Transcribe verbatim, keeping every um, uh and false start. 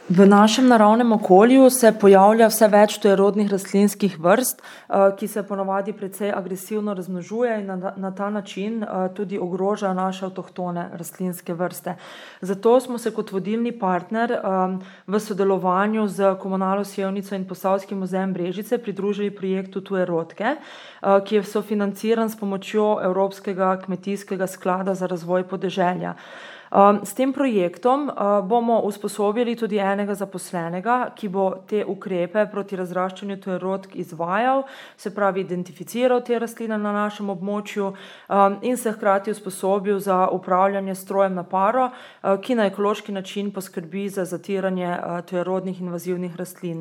V našem naravnem okolju se pojavlja vse več tujerodnih rastlinskih vrst, ki se ponavadi precej agresivno razmnožuje in na, na ta način tudi ogroža naše avtohtone rastlinske vrste. Zato smo se kot vodilni partner v sodelovanju z Komunalo Sevnica in Posavskim muzejem Brežice pridružili projektu Tujerodke, ki je sofinanciran s pomočjo Evropskega kmetijskega sklada za razvoj podeželja. S tem projektom bomo usposobili tudi enega zaposlenega, ki bo te ukrepe proti razraščanju tujerodk izvajal, se pravi identificiral te rastline na našem območju in se hkrati usposobil za upravljanje s strojem na paro, ki na ekološki način poskrbi za zatiranje tujerodnih invazivnih rastlin.